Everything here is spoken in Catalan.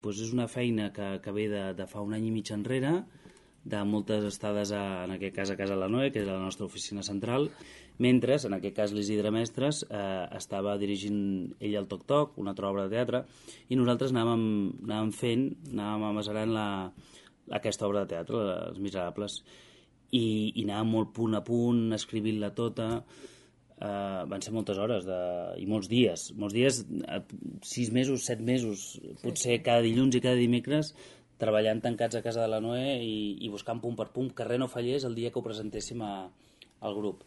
Doncs és una feina que ve de fa un any i mig enrere, de moltes estades, en aquest cas a Casa la Noe, que és la nostra oficina central, mentre, en aquest cas l'Isidre Mestres, estava dirigint ell el Toc Toc, una altra obra de teatre, i nosaltres anàvem amasarant aquesta obra de teatre, Els Miserables, i anàvem molt punt a punt, escrivint-la tota. Van ser moltes hores i molts dies, 6 mesos, 7 mesos, potser cada dilluns i cada dimecres, treballant tancats a Casa de la Noe i buscant punt per punt que res no fallés el dia que ho presentéssim al grup.